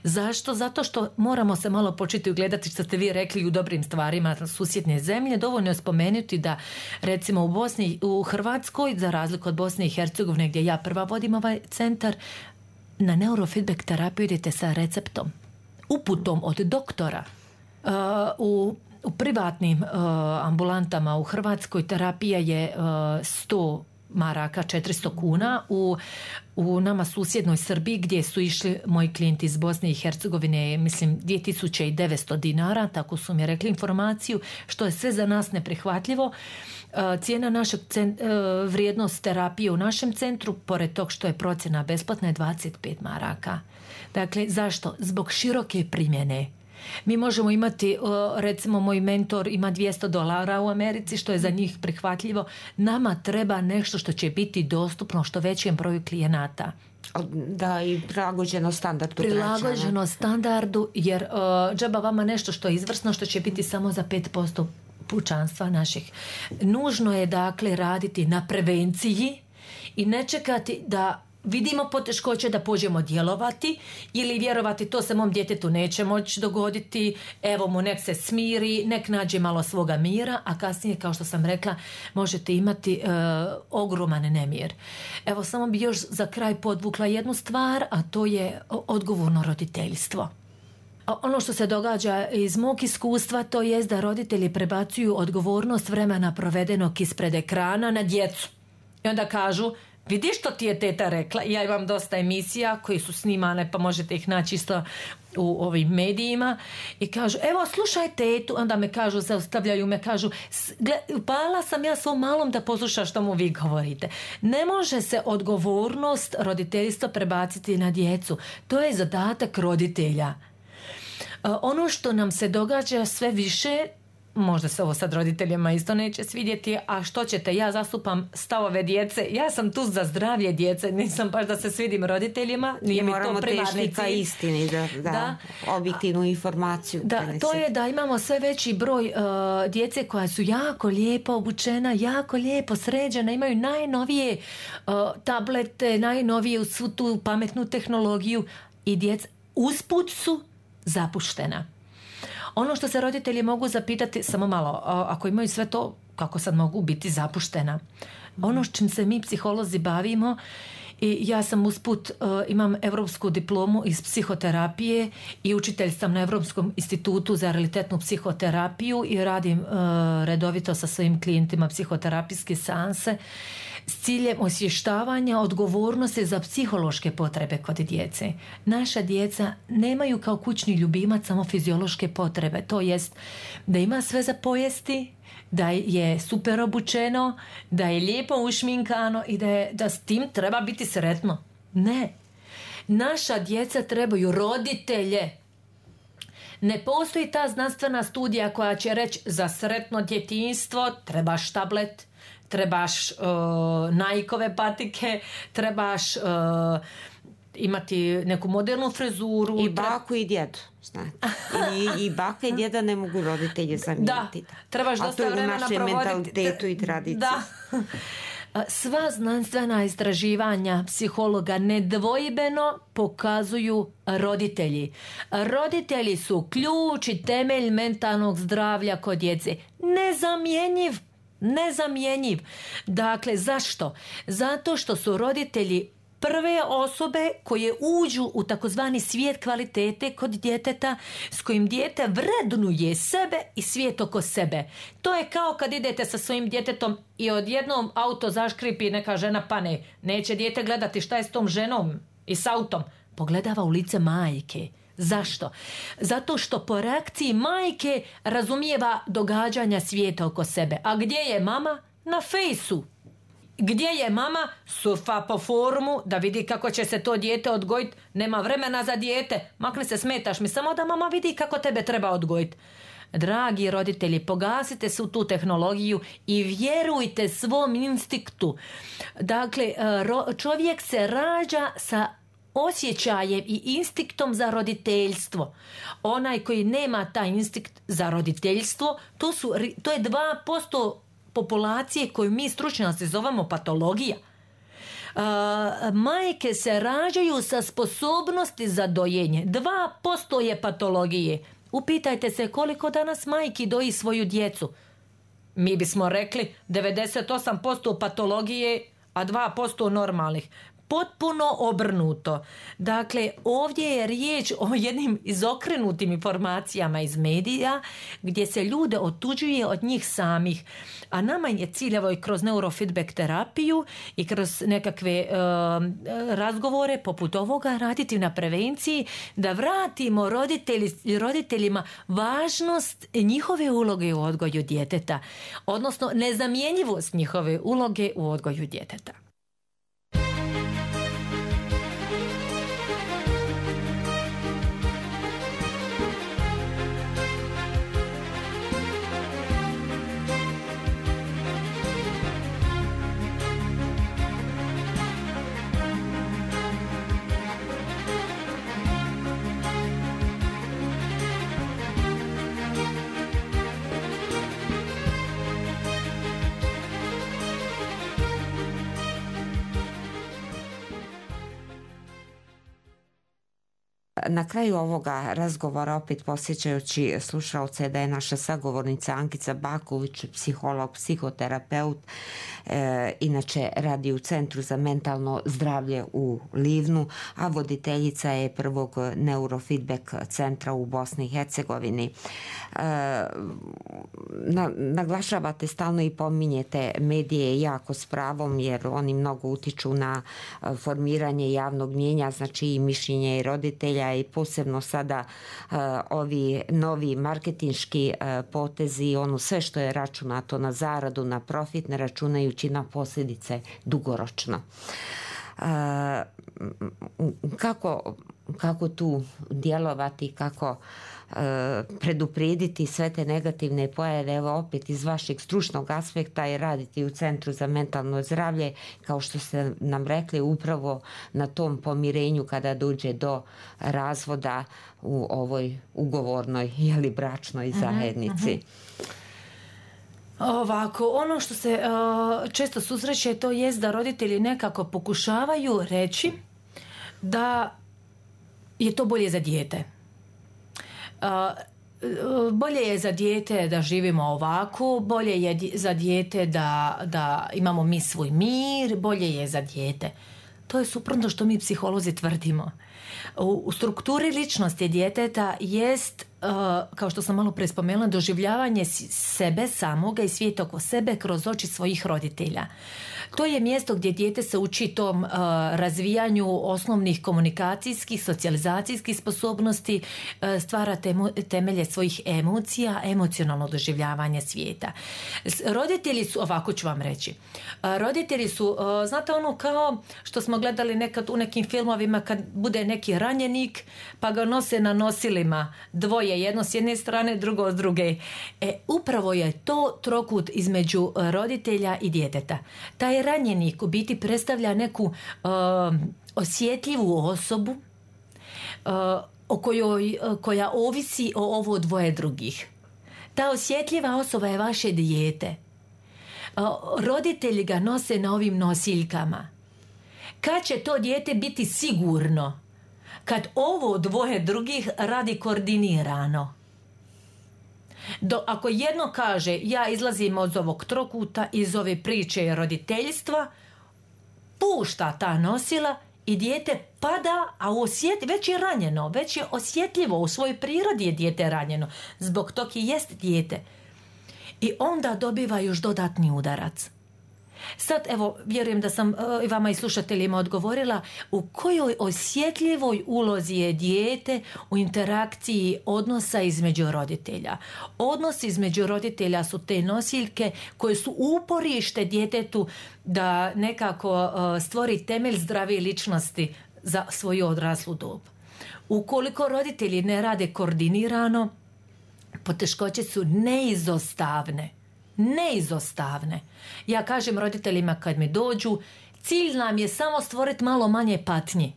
Zašto? Zato što moramo se malo početi ugledati, što ste vi rekli, u dobrim stvarima susjedne zemlje. Dovoljno je spomenuti da recimo u Bosni, u Hrvatskoj, za razliku od Bosne i Hercegovine gdje ja prva vodim ovaj centar, na neurofeedback terapiju idete sa receptom, uputom od doktora. Uh, u, u privatnim uh, ambulantama u Hrvatskoj terapija je uh, sto maraka, četiristo kuna. U, u nama susjednoj Srbiji gdje su išli moji klijenti iz Bosne i Hercegovine, mislim dvije tisuće devetsto dinara, tako su mi rekli informaciju, što je sve za nas neprihvatljivo. Cijena našeg cent, vrijednost terapije u našem centru, pored tog što je procjena besplatna, je dvadeset pet maraka. Dakle, zašto? Zbog široke primjene. Mi možemo imati, recimo moj mentor ima dvjesto dolara u Americi, što je za njih prihvatljivo. Nama treba nešto što će biti dostupno što većem broju klijenata. Da, i prilagođeno standardu. Prilagođeno građana. standardu, jer uh, džaba vama nešto što je izvrsno, što će biti samo za pet posto pučanstva naših. Nužno je dakle raditi na prevenciji i ne čekati da vidimo poteškoće da pođemo djelovati ili vjerovati to se mom djetetu neće moći dogoditi, evo mu nek se smiri, nek nađe malo svoga mira, a kasnije, kao što sam rekla, možete imati e, ogroman nemir. Evo, samo bi još za kraj podvukla jednu stvar, a to je odgovorno roditeljstvo. Ono što se događa iz mog iskustva, to je da roditelji prebacuju odgovornost vremena provedenog ispred ekrana na djecu. I onda kažu, vidiš što ti je teta rekla? Ja imam dosta emisija koji su snimane, pa možete ih naći isto u ovim medijima, i kažu, evo slušaj tetu, onda me kažu, zaustavljaju me, kažu, upala sam ja svom malom da posluša što mu vi govorite. Ne može se odgovornost roditeljstva prebaciti na djecu. To je zadatak roditelja. Ono što nam se događa sve više, možda se ovo sad roditeljima isto neće svidjeti, a što ćete, ja zastupam stavove djece, ja sam tu za zdravlje djece, nisam baš da se svidim roditeljima, nije mi to primarni cilj. Istini, da, da, da, objektivnu informaciju. Da, to je da imamo sve veći broj uh, djece koja su jako lijepo obučena, jako lijepo sređena, imaju najnovije uh, tablete, najnovije u svu tu pametnu tehnologiju, i djeca usput su zapuštena. Ono što se roditelji mogu zapitati, samo malo, ako imaju sve to, kako sad mogu biti zapuštena? Ono s čim se mi psiholozi bavimo i ja sam usput, uh, imam europsku diplomu iz psihoterapije i učitelj sam na Europskom institutu za realitetnu psihoterapiju i radim uh, redovito sa svojim klijentima psihoterapijske seanse s ciljem osvještavanja odgovornosti za psihološke potrebe kod djece. Naša djeca nemaju kao kućni ljubimac samo fiziološke potrebe, to jest da ima sve za pojesti, da je super obučeno, da je lijepo ušminkano i da, je, da s tim treba biti sretno. Ne. Naša djeca trebaju roditelje. Ne postoji ta znanstvena studija koja će reći za sretno djetinjstvo trebaš tablet, trebaš uh, Nikeove patike, trebaš uh, imati neku modernu frizuru. I baku i djedu. I, I baka i djeda ne mogu roditelje zamijeniti. Da, trebaš dosta vremena provoditi. A to je u našem mentalitetu i tradiciji. Da. Sva znanstvena istraživanja psihologa nedvojbeno pokazuju roditelji. Roditelji su ključ i temelj mentalnog zdravlja kod djece. Nezamjenjiv. Nezamjenjiv. Dakle, zašto? Zato što su roditelji prve osobe koje uđu u takozvani svijet kvalitete kod djeteta s kojim dijete vrednuje sebe i svijet oko sebe. To je kao kad idete sa svojim djetetom i odjednom auto zaškripi i neka žena pane. Neće dijete gledati šta je s tom ženom i s autom. Pogledava u lice majke. Zašto? Zato što po reakciji majke razumijeva događanja svijeta oko sebe. A gdje je mama? Na fejsu. Gdje je mama? Surfa po forumu da vidi kako će se to dijete odgojiti. Nema vremena za dijete. Makne se, smetaš mi, samo da mama vidi kako tebe treba odgojiti. Dragi roditelji, pogasite se u tu tehnologiju i vjerujte svom instinktu. Dakle, čovjek se rađa sa osjećajem i instinktom za roditeljstvo. Onaj koji nema taj instinkt za roditeljstvo, to, su, to je dva posto populacije koju mi stručnjaci zovemo patologija. Uh, majke se rađaju sa sposobnosti za dojenje. dva posto je patologije. Upitajte se koliko danas majki doji svoju djecu. Mi bismo rekli devedeset osam posto patologije, a dva posto normalnih. Potpuno obrnuto. Dakle, ovdje je riječ o jednim izokrenutim informacijama iz medija gdje se ljude otuđuje od njih samih. A nama je cilj, evo i kroz neurofeedback terapiju i kroz nekakve uh, razgovore poput ovoga raditi na prevenciji da vratimo roditelji, roditeljima važnost njihove uloge u odgoju djeteta. Odnosno nezamjenjivost njihove uloge u odgoju djeteta. Na kraju ovoga razgovora, opet posjećajući slušalce da je naša sagovornica Ankica Baković, psiholog, psihoterapeut, e, inače radi u Centru za mentalno zdravlje u Livnu, a voditeljica je prvog neurofeedback centra u Bosni i Hercegovini. E, na, naglašavate stalno i pominjete medije jako s pravom, jer oni mnogo utiču na formiranje javnog mnijenja, znači i mišljenje i roditelja, i posebno sada uh, ovi novi marketinški uh, potezi, ono sve što je računato na zaradu, na profit, ne računajući na posljedice dugoročno. Uh, kako, kako tu djelovati, kako uh, preduprijediti sve te negativne pojave, evo opet iz vašeg stručnog aspekta i raditi u Centru za mentalno zdravlje, kao što ste nam rekli, upravo na tom pomirenju kada dođe do razvoda u ovoj ugovornoj ili bračnoj zajednici. Uh-huh, uh-huh. Ovako, ono što se uh, često susreće, to jest da roditelji nekako pokušavaju reći da je to bolje za dijete. Uh, bolje je za dijete da živimo ovako, bolje je za dijete da, da imamo mi svoj mir, bolje je za dijete. To je suprotno što mi psiholozi tvrdimo. U, u strukturi ličnosti djeteta jest, uh, kao što sam malo prije spomenula, doživljavanje sebe samoga i svijeta oko sebe kroz oči svojih roditelja. To je mjesto gdje dijete se uči tom uh, razvijanju osnovnih komunikacijskih, socijalizacijskih sposobnosti, uh, stvara temu, temelje svojih emocija, emocionalno doživljavanje svijeta. Roditelji su, ovako ću vam reći, uh, roditelji su, uh, znate ono kao što smo gledali nekad u nekim filmovima kad bude neki ranjenik pa ga nose na nosilima, dvoje, jedno s jedne strane, drugo s druge. E, upravo je to trokut između roditelja i djeteta. Taj ranjenik u biti predstavlja neku uh, osjetljivu osobu uh, o kojoj, uh, koja ovisi o ovo dvoje drugih. Ta osjetljiva osoba je vaše dijete. Uh, roditelji ga nose na ovim nosiljkama. Kad će to dijete biti sigurno? Kad ovo dvoje drugih radi koordinirano. Do, ako jedno kaže ja izlazim od ovog trokuta, iz ove priče roditeljstva, pušta ta nosila i dijete pada, a osjet, već je ranjeno, već je osjetljivo, u svojoj prirodi je dijete ranjeno, zbog tog i jest dijete. I onda dobiva još dodatni udarac. Sad, evo, vjerujem da sam i vama i slušateljima odgovorila u kojoj osjetljivoj ulozi je dijete u interakciji odnosa između roditelja. Odnos između roditelja su te nosiljke koje su uporište djetetu da nekako stvori temelj zdrave ličnosti za svoju odraslu dob. Ukoliko roditelji ne rade koordinirano, poteškoće su neizostavne. Neizostavne. Ja kažem roditeljima kad mi dođu, cilj nam je samo stvoriti malo manje patnji.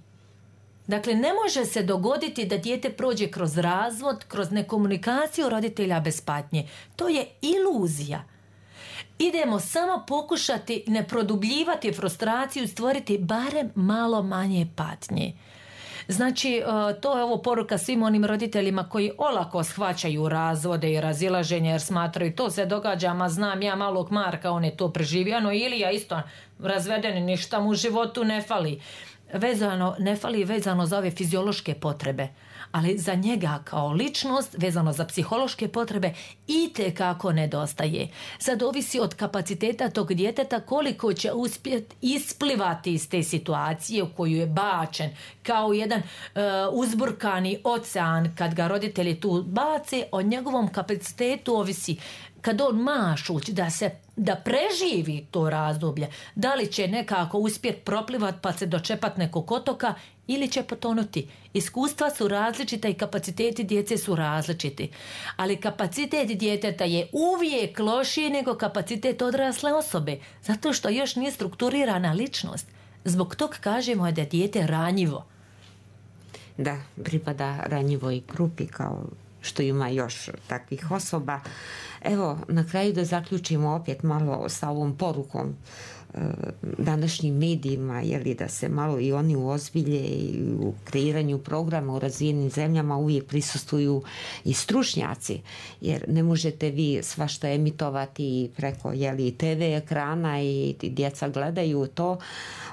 Dakle, ne može se dogoditi da dijete prođe kroz razvod, kroz nekomunikaciju roditelja bez patnje. To je iluzija. Idemo samo pokušati ne produbljivati frustraciju i stvoriti barem malo manje patnje. Znači, to je ovo poruka svim onim roditeljima koji olako shvaćaju razvode i razilaženje jer smatraju to se događa, ma znam ja malog Marka, on je to preživio, no ili ja isto razveden, ništa mu u životu ne fali. Vezano, ne fali vezano za ove fiziološke potrebe, ali za njega kao ličnost, vezano za psihološke potrebe, itekako nedostaje. Sad ovisi od kapaciteta tog djeteta koliko će uspjeti isplivati iz te situacije u koju je bačen, kao jedan uh, uzburkani ocean kad ga roditelji tu bace, o njegovom kapacitetu ovisi kad on mašuć da se da preživi to razdoblje, da li će nekako uspjeti proplivat pa se dočepat nekog otoka ili će potonuti. Iskustva su različita i kapaciteti djece su različiti. Ali kapacitet djeteta je uvijek lošiji nego kapacitet odrasle osobe, zato što još nije strukturirana ličnost. Zbog tog kažemo da je dijete ranjivo. Da, pripada ranjivoj grupi kao što ima još takvih osoba. Evo, na kraju da zaključimo opet malo sa ovom porukom e, današnjim medijima, jeli, da se malo i oni uozbilje i u kreiranju programa u razvijenim zemljama uvijek prisustvuju i stručnjaci, jer ne možete vi svašta emitovati preko jeli, te ve ekrana i djeca gledaju to.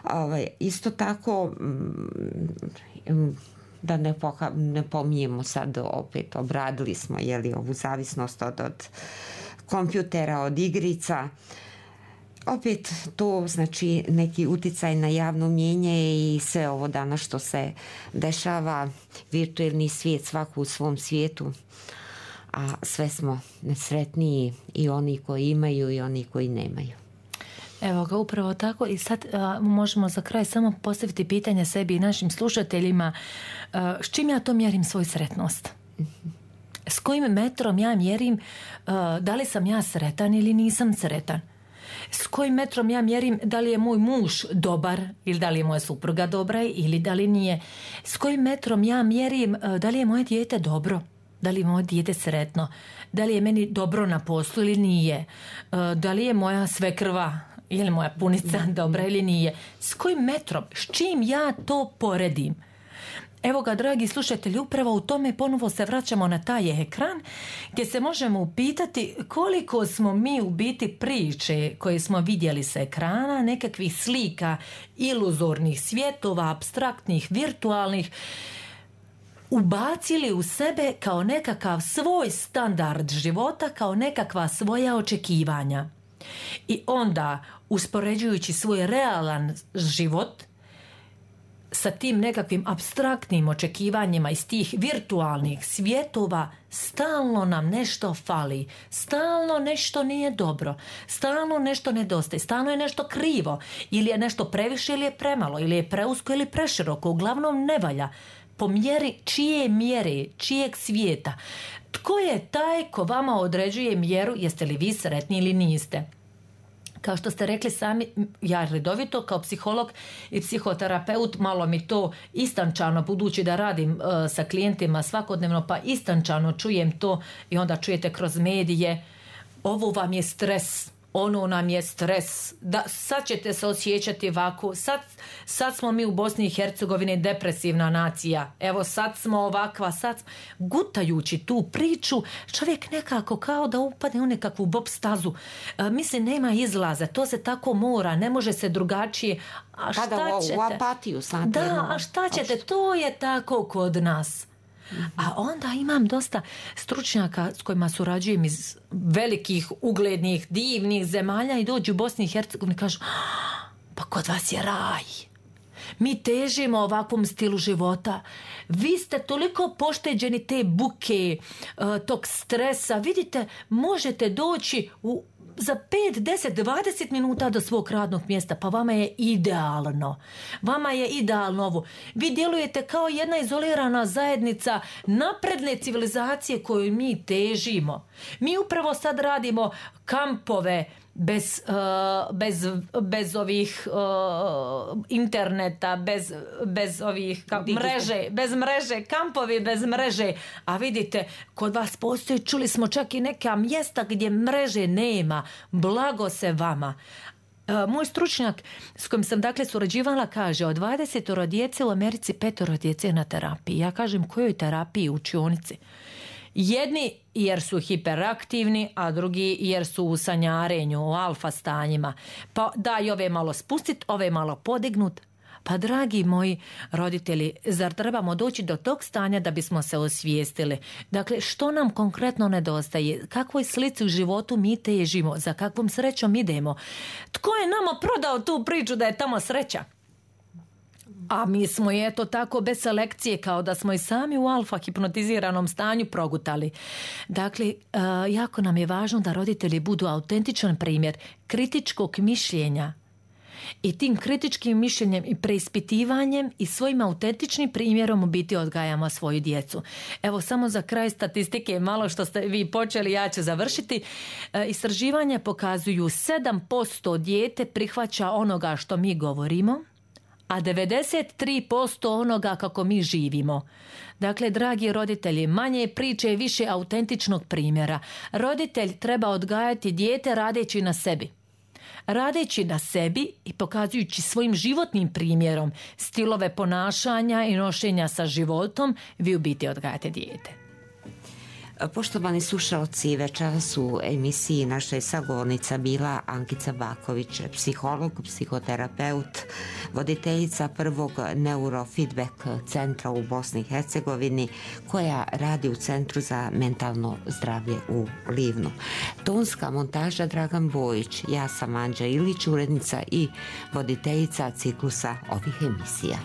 Ovaj, isto tako mm, da ne, poha, ne pominjemo sad opet, obradili smo jeli, ovu zavisnost od, od kompjutera, od igrica. Opet to znači neki uticaj na javno mnijenje i sve ovo danas što se dešava, virtualni svijet, svako u svom svijetu, a sve smo nesretniji i oni koji imaju i oni koji nemaju. Evo ga, upravo tako. I sad a, možemo za kraj samo postaviti pitanje sebi i našim slušateljima, a, s čim ja to mjerim svoju sretnost? S kojim metrom ja mjerim a, da li sam ja sretan ili nisam sretan? S kojim metrom ja mjerim da li je moj muž dobar ili da li je moja supruga dobra ili da li nije? S kojim metrom ja mjerim a, da li je moje dijete dobro? Da li je moje dijete sretno? Da li je meni dobro na poslu ili nije? A, da li je moja svekrva ili moja punica dobra ili nije? S kojim metrom? S čim ja to poredim? Evo ga, dragi slušatelji, upravo u tome ponovo se vraćamo na taj ekran gdje se možemo upitati koliko smo mi u biti priče koje smo vidjeli sa ekrana, nekakvih slika, iluzornih svjetova, apstraktnih, virtualnih, ubacili u sebe kao nekakav svoj standard života, kao nekakva svoja očekivanja. I onda, uspoređujući svoj realan život sa tim nekakvim apstraktnim očekivanjima iz tih virtualnih svjetova, stalno nam nešto fali, stalno nešto nije dobro, stalno nešto nedostaje, stalno je nešto krivo, ili je nešto previše ili je premalo, ili je preusko ili preširoko, uglavnom ne valja. Po mjeri čije mjere, čijeg svijeta. Tko je taj ko vama određuje mjeru, jeste li vi sretni ili niste? Kao što ste rekli sami, ja redovito kao psiholog i psihoterapeut, malo mi to istančano, budući da radim uh, sa klijentima svakodnevno, pa istančano čujem to i onda čujete kroz medije, ovo vam je stres, ono nam je stres, da, sad ćete se osjećati ovako, sad, sad smo mi u Bosni i Hercegovini depresivna nacija, evo sad smo ovakva, sad gutajući tu priču, čovjek nekako kao da upadne u nekakvu bob stazu, e, misli nema izlaza, to se tako mora, ne može se drugačije, a šta Kada ćete? U apatiju sad. Da, a šta ćete, to je tako kod nas. A onda imam dosta stručnjaka s kojima surađujem iz velikih, uglednih, divnih zemalja i dođu u Bosni i Hercegovini i kažu, pa kod vas je raj. Mi težimo ovakvom stilu života. Vi ste toliko pošteđeni te buke, tog stresa. Vidite, možete doći u za pet, deset, dvadeset minuta do svog radnog mjesta, pa vama je idealno. Vama je idealno ovo. Vi djelujete kao jedna izolirana zajednica napredne civilizacije koju mi težimo. Mi upravo sad radimo kampove bez, uh, bez, bez ovih uh, interneta, bez, bez ovih ka, mreže, bez mreže, kampovi bez mreže. A vidite, kod vas postoji, čuli smo čak i neka mjesta gdje mreže nema. Blago se vama. Uh, moj stručnjak s kojim sam dakle surađivala kaže, od dvadesetoro djece u Americi petoro djece na terapiji. Ja kažem, kojoj terapiji? U učionici. Jedni jer su hiperaktivni, a drugi jer su u sanjarenju, u alfa stanjima. Pa daj ove malo spustit, ove malo podignut. Pa dragi moji roditelji, zar trebamo doći do tog stanja da bismo se osvijestili? Dakle, što nam konkretno nedostaje? Kakvoj slici u životu mi težimo? Za kakvom srećom idemo? Tko je nama prodao tu priču da je tamo sreća? A mi smo je eto tako bez selekcije, kao da smo i sami u alfa hipnotiziranom stanju progutali. Dakle, jako nam je važno da roditelji budu autentičan primjer kritičkog mišljenja. I tim kritičkim mišljenjem i preispitivanjem i svojim autentičnim primjerom u biti odgajamo svoju djecu. Evo samo za kraj statistike, malo što ste vi počeli, ja ću završiti. E, istraživanja pokazuju sedam posto dijete prihvaća onoga što mi govorimo, a devedeset tri posto onoga kako mi živimo. Dakle, dragi roditelji, manje priče i više autentičnog primjera. Roditelj treba odgajati dijete radeći na sebi. Radeći na sebi i pokazujući svojim životnim primjerom stilove ponašanja i nošenja sa životom, vi u biti odgajate dijete. Poštovani slušalci, večeras u emisiji naša je sagovornica bila Ankica Baković, psiholog, psihoterapeut, voditeljica prvog neurofeedback centra u Bosni i Hercegovini, koja radi u Centru za mentalno zdravlje u Livnu. Tonska montaža Dragan Bojić, ja sam Anđa Ilić, urednica i voditeljica ciklusa ovih emisija.